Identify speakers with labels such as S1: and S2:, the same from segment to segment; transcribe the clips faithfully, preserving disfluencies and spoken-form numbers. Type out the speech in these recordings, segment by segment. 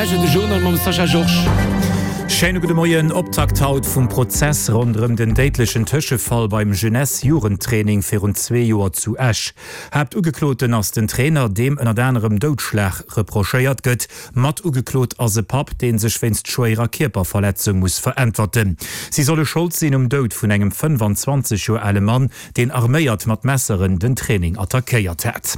S1: Esch de Journal mam Sascha Georges.
S2: Schéine gudde Moien. Optakt haut vum Prozess ronderëm den déidlechen Tëschefall beim Jeunesse-Jugendtraining virun zwee Joer zu Esch. Haaptugekloten ass den Trainer, deem ënnert anerem Doudschlag reprochéiert gëtt. Mat ugeklot ass e Papp, dee sech wéinst schwéierer Kierperverletzung muss veräntwerten. Si solle Schold sinn um Doud vun engem fënnfanzwanzeg Joer ale Mann, deen arméiert mat Messeren den Training attackéiert hat.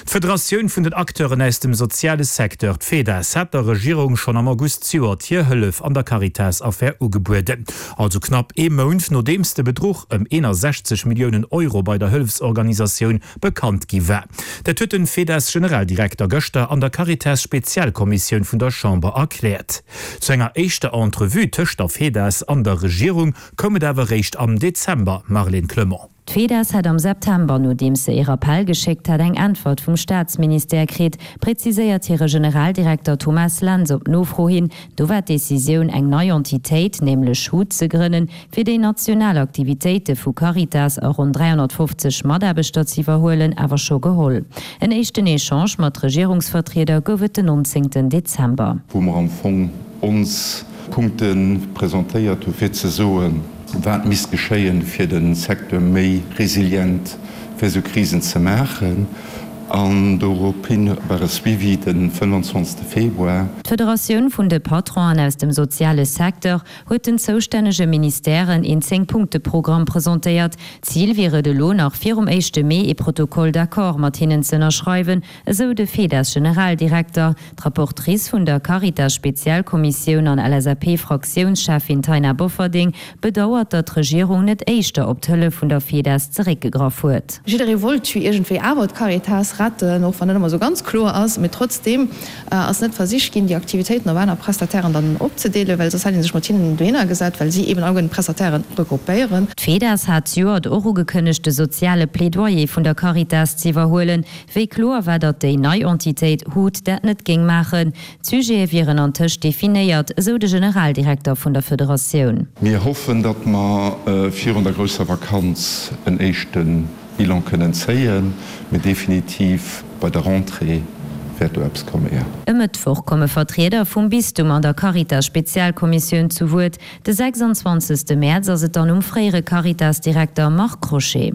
S2: D'Federatioun vun den Acteuren aus dem soziale Secteur, d'FEDAS, hat der Regierung schonn am August zejoert hir Hëllef an der Caritas-Affär ugebueden. Also knapp ee Mount nodeems de Bedruch ëm eenasechzeg Milliounen Euro bei der Hëllefsorganisatioun bekannt gi war. Dat huet den FEDAS-Generaldirekter gëschter an der Caritas-Spezialkommissioun vun der Chamber erkläert. Zu enger éischter Entrevue tëscht der FEDAS an der Regierung koum et awer réischt am Dezember, Marlène Clement.
S3: D'FEDAS hätt am September, nodeems se ee Rappell geschéckt hat, eng Äntwert vum Staatsministère kritt, präziséiert hire Generaldirekter Thomas Lentz op Nofro hin. Do war d'Decisioun, eng nei Entitéit, nämlech hut, ze grënnen, fir déi national Aktivitéite vu Caritas a ronn dräihonnertfofzeg Mataarbechter ze iwwerhuelen, awer scho geholl. En éischten Echange mat Regierungsvertrieder gouf et den nonzéngten Dezember.
S4: Wou mer am Fong ons Punkte presentéiert hu fir ze soen, wat misst geschéien, fir de Secteur méi resilient fir esou Krisen ze maachen. An dorophin war e Suivi de fënnwanzwanzegste Februar.
S3: D'Federatioun vun de Patronen aus dem soziale Secteur huet den zoustännege Ministèren een Zéng-Punkte-Programm presentéiert. Zil wier et elo nach virum éischte Mee ee Protocole d'accord mat hinnen ze ënnerschreiwen, esou de FEDAS-Generaldirekter. D'Rapportrice vun der Caritas-Spezialkommissioun an L S A P-Fraktiounscheffin Taina Bofferding bedauert, datt d'Regierung net éischter op d'Hëllef vun der FEDAS zeréckgegraff huet.
S5: Jidderee wollt jo iergendwéi awer d'Caritas retten, och wann net ëmmer esou ganz kloer ass. Mee trotzdeem ass net versicht ginn, déi Aktivitéiten op aner Prestatairen dann opzedeelen, well soss hätt ee sech mat hinnen dohinner gesat, well si eeben alleguerten d'Prestatairen regroupéieren.
S3: D'FEDAS hat zejoert och ugekënnegt, de soziale Plädoyer vun der Caritas z'iwwerhuelen. Wéi kloer war, datt déi nei Entitéit hut dat net géing maachen. D'Sujete wieren antëscht definéiert, esou de Generaldirekter vun der Federatioun.
S4: Mir hoffen, datt mer virun der grousser Vakanz en éischte Bilan kënnen zéien, mee definitiv bei der Rentrée wäert do eppes komme, jo.
S3: E Mëttwoch komme Vertrieder vum Bistum an der Caritas-Spezialkommissioun zu Wuert. De sechsanzwanzegste Mäerz ass et dann um fréiere Caritas-Direkter Marc Crochet.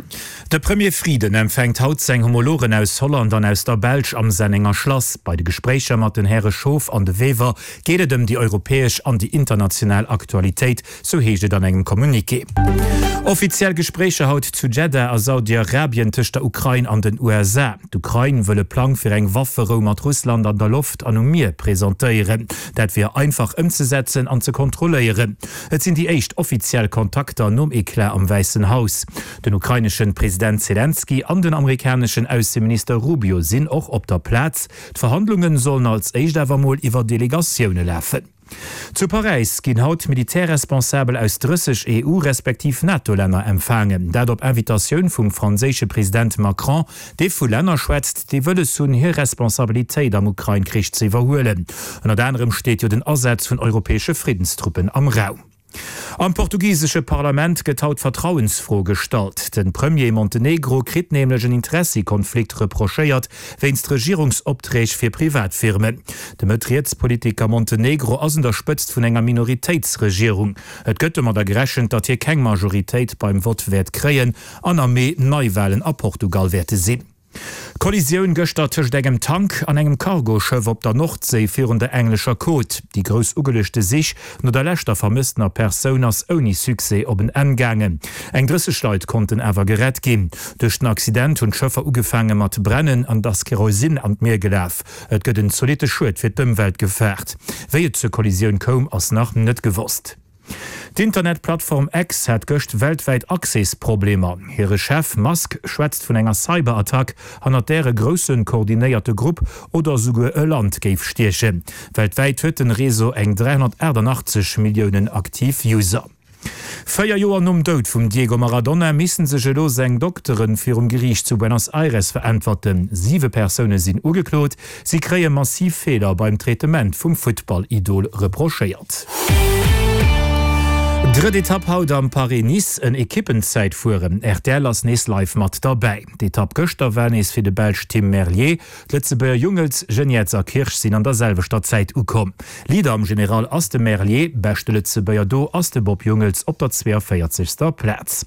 S2: De Premier Frieden empfänkt haut seng Homologen aus Holland an aus der Belsch am Sennenger Schlass. Bei de Gespréicher mat den Häre Schoof an De Wever geet et ëm déi europäesch an déi international Aktualitéit, sou heescht et an engem Communiqué. Offiziell Gespréicher haut zu Jeddah a Saudi-Arabien tëscht der Ukrain an den U S A. D'Ukrain wëll e Plang fir eng Wafferou mat Russland an der Loft an um Mier presentéieren. Dat wier einfach ëmzesetzen an ze kontrolléieren. Et sinn déi éischt offiziell Kontakter nom Eclat am Wäissen Haus. Den ukraineschen President Selenskyj an den amerikaneschen Ausseminister Rubio sinn och op der Plaz. D'Verhandlunge sollen als éischt awer mol iwwer Delegatioune lafen. Zu Paräis ginn haut Militärresponsabel aus drësseg E U respektiv NATO-Länner empfaangen. Dat op Invitatioun vum franséische President Macron, dee vu Länner schwätzt, déi wëlles hunn, hir Responsabilitéit am Ukrain-Krich ze iwwerhuelen. Ënnert anerem steet jo den Asaz vun europäesche Friddenstruppen am Raum. Am portugisesche Parlament gëtt haut d'Vertrauensfro gestallt. De Premier Montenegro kritt nämlech en Interessikonflikt reprochéiert wéinst Regierungsopträg fir Privatfirmen. De Mëtt-Riets-Politiker Montenegro ass un der Spëtzt vun enger Minoritéitsregierung. Et gëtt domadder gerechent, datt hie keng Majoritéit beim Vott wäert kréien an am Mee Neiwalen a Portugal wäerte sinn. Kollisioun gëschter tëscht engem Tank an engem Cargoschëff op der Nordséi virun der englescher Côte. Déi grouss ugeluechte Sich no der leschter vermësstener Persoun ass ouni Succès op en Enn gaangen. Eng drësseg Leit konnten awer gerett ginn. Duerch den Accident hunn d'Schëffer ugefaange mat brennen an et ass Kerosin an d'Mier gelaf. Et gëtt en zolitte Schued fir d'Ëmwelt gefaart. Wéi et zur Kollisioun koum, ass nach net gewosst. D'Internetplattform X hat gëscht weltwäit Accès-Problemer. Hire Chef Musk schwätzt vun enger Cyberattack, hannert där e grousse koordinéierte Grupp oder souguer e Land géif stiechen. Weltwäit huet den Réseau eng dräihonnertaachtanachtzeg Milliounen aktiv User. Véier Joer nom Doud vum Diego Maradona misse sech elo seng Dokteren virum Geriicht zu Buenos Aires veräntwerten. Siwe Persoune sinn ugeklot. Si kréie massiv Feeler beim Traitement vum Futtball-Idol reprochéiert. Drëtt Etapp haut am Paris-Nice, en Ekippenzäitfueren. Rtl ass nees live mat derbäi. D'Etapp gëschter war nees fir de Belsch Tim Merlier. D'Lëtzebuerger Jungels, Geniets a Kirsch sinn an der selwechter Zäit ukomm. Leader am General ass de Merlier, beschte Lëtzebuerger do ass de Bob Jungels op der zweeënvéierzegster Plaz.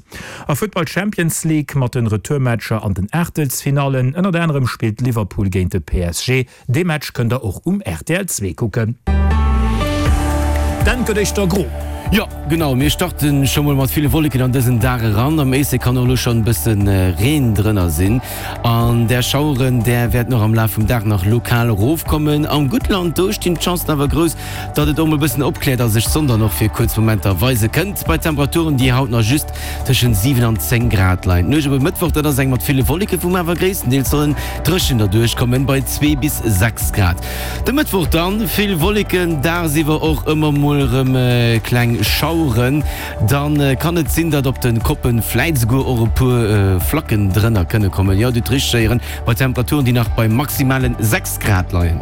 S2: A Futtball Champions League mat den Retourmatcher an den Aachtelsfinallen. Ënnert anerem spillt Liverpool géint de P S G. Dee Match kënnt der och um R T L zwee kucken. D'Enn gëtt éischter gro.
S1: Jo, genau, mir starte scho mol mat ville Wolleken an dësen Dag eran. Am Éislek kann och elo schonn e bësse Reen drënner sinn an där Schaueren, där wäerten och am Laf vum Dag nach lokal erofkommen. Am Guttland, do stinn d'Chancen awer grouss, datt et och mol e bëssen opkläert a sech d'Sonn dann och fir kuerz Momenter weise kënnt, bei Temperaturen, déi haut nach just tëschent siwen an zéng Grad leien. D'Nuecht op e Mëttwoch, dat ass eng mat ville Wolleken, wou mer awer gréisstendeels sollen dréchen derduerch kommen, bei zwee bis sechs Grad. De Mëttwoch dann vill Wolleken, dagsiwwer och ëmmer mol erëm kleng Schaueren. Dann kann et sinn, datt op de Koppen vläit esouguer och e puer Flacken drënner kënne kommen. Jo, Dir hutt richteg héieren, bei Temperaturen, déi nach bei maximalen sechs Grad leien.